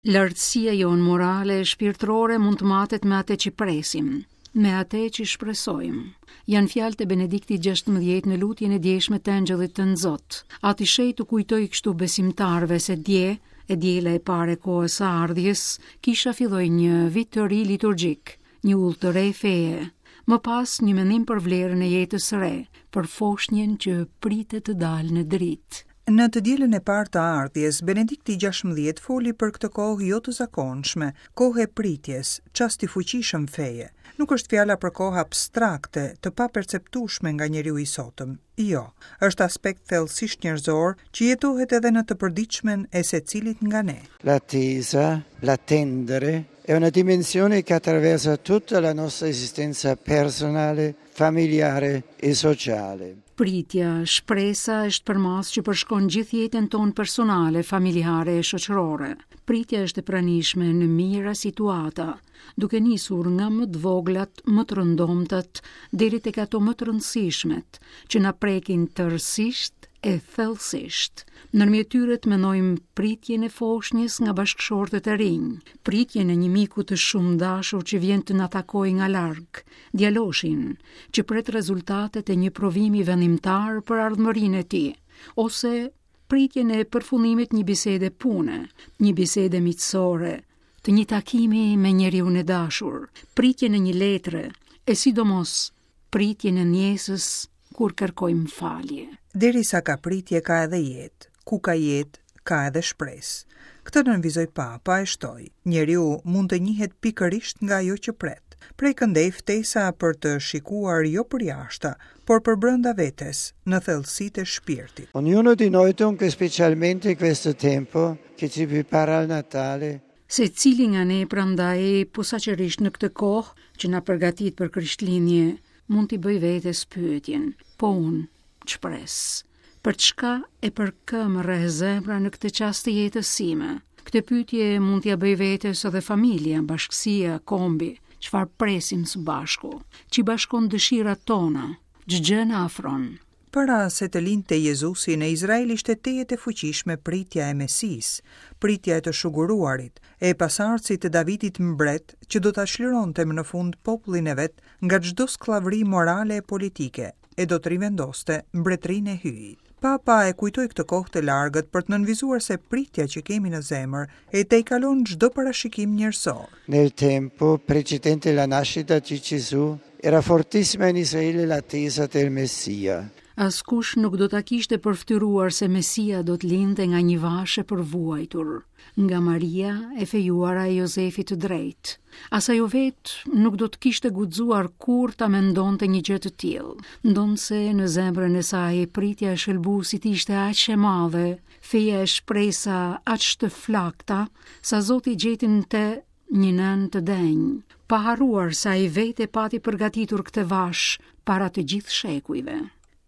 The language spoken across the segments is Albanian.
Lartësia jonë morale e shpirtërore mund të matet me atë që presim, me atë që shpresojmë. Janë fjalët e Benediktit XVI në lutjen e djeshme të Engjëllit Tënzot. Ati i Shenjtë u kujtoi kështu besimtarëve se dje, e diela e parë e kohës së ardhjes, kisha filloi një vit të ri liturgjik, një udhë të re feje, më pas një mendim për vlerën e jetës së re, për foshnjën që pritet të dalë në dritë. Në të dielën e parë të ardhjes, Benedikti XVI foli për këtë kohë jo të zakonshme, kohë e pritjes, çast i fuqishëm feje. Nuk është fjala për kohë abstrakte, të paperceptueshme nga njeriu i sotëm. Jo, është aspekt thellësisht njerëzor që jetohet edhe në të përditshmen e secilit nga ne. L'attesa, l'attendere, è una dimensione che attraversa tutta la nostra esistenza personale, familiare e sociale. Pritja, shpresa është përmasë që përshkon gjithë jetën tonë personale, familjare e shoqërore. Pritja është e pranishme në mijëra situata, duke nisur nga më të voglat, më të rëndomtat, deri tek ato më të rëndësishmet, që na prekin tërësisht e thellësisht. Ndërmjet tyre të mendojmë pritjen e foshnjës nga bashkëshortët e rinj, pritjen e një miku të shumëdashur që vjen të na takojë nga larg, djaloshin që pret rezultatet e një provimi vendimtar për ardhmërinë e tij, ose pritjen e përfundimit një bisede pune, një bisede miqësore, të një takimi me njeriun e dashur, pritjen e një letre, e sidomos pritjen e ndjesës kur kërkojmë falje. Derisa ka pritje ka edhe jetë, ku ka jetë, ka edhe shpresë. Këtë nënvizoi Papa e shtoi, njeriu mund të njihet pikërisht nga ajo që pret. Prej këndej ftesa për të shikuar jo përjashta, por përbrenda vetes, në thellësitë e shpirtit. Ognuno di noi dunque specialmente in questo tempo che ci prepara al Natale Secili nga ne prandaj posaçërisht në këtë kohë që na përgatit për Krishtlindje, mund t'i bëjë vetes pyetjen, po unë, ç'pres? Për çka e për kë më rreh zemra në këtë çast të jetës sime? Këtë pyetje mund t'ia bëjë vetes edhe familja, bashkësia, kombi, çfarë presim së bashku, ç'i bashkon dëshirat tona, ç'gjë na afron. Para se të lindte Jezusi në Izrael ishte tejet e fuqishme pritja e Mesisë, pritja e të shuguruarit, e pasardhësit të Davidit mbret që do ta çlironte më në fund popullin e vet nga çdo skllavëri morale e politike e do të rivendoste mbretërinë e Hyjit. Papa e kujtoi këtë kohë të largët për të nënvizuar se pritja që kemi në zemër e tejkalon çdo parashikim njerëzor. Nel tempo precedente la nascita di Gesù era fortissima in Israele l'attesa del Messia. Askush nuk do ta kishte përfytyruar se Mesia do të lindte nga një vashë e përvuajtur, nga Maria e fejuara e Jozefit të drejtë. As ajo vetë nuk do të kishte guxuar kurrë ta mendonte një gjë të tillë. Ndonëse në zemrën e saj pritja e shëlbuesit ishte aq e madhe, feja e shpresa aq të flakta, sa Zoti gjeti në të një nënë të denjë, pa harruar se ai vetë e pati përgatitur këtë vashë para të gjithë shekujve.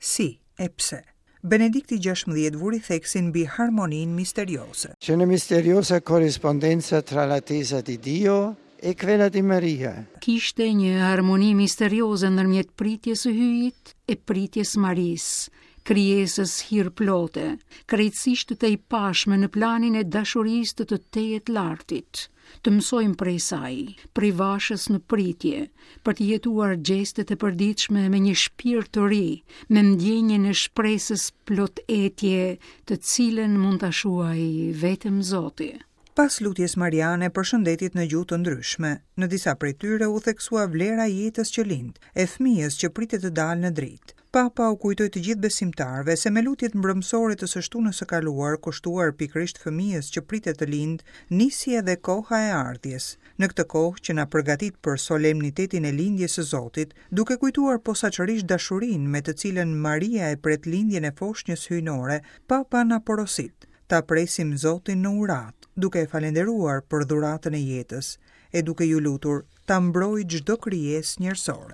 Si e pse? Benedikti XVI vuri theksin mbi harmoninë misterioze. C'è una misteriosa corrispondenza tra l'attesa di Dio e quella di Maria. Kishte një harmoni misterioze ndërmjet pritjes së Hyjit e pritjes së Marisë, krijesës hirplote, krejtësisht të tejpashme në planin e dashurisë të të Tejetlartit. Të mësojmë prej saj, prej vashës në pritje, për të jetuar gjestet e përditshme me një shpirt të ri, me ndjenjën e shpresës plot etje, të cilën mund ta shuajë vetëm Zoti. Pas lutjes mariane, përshëndetjet në gjuhë të ndryshme. Në disa prej tyre u theksua vlera e jetës që lind, e fëmijës që pritet të dalë në dritë. Papa u kujtoi të gjithë besimtarëve se me lutjet mbrëmësore të së shtunës së kaluar, kushtuar pikërisht fëmijës që pritet të lindë, nisi edhe koha e ardhjes. Në këtë kohë që na përgatit për solemnitetin e lindjes së Zotit, duke kujtuar posaçërisht dashurinë me të cilën Maria e pret lindjen e foshnjës hyjnore, Papa na porosit, Ta presim Zotin në uratë, duke e falënderuar për dhuratën e jetës, e duke iu lutur ta mbrojë çdo krijesë njerëzore.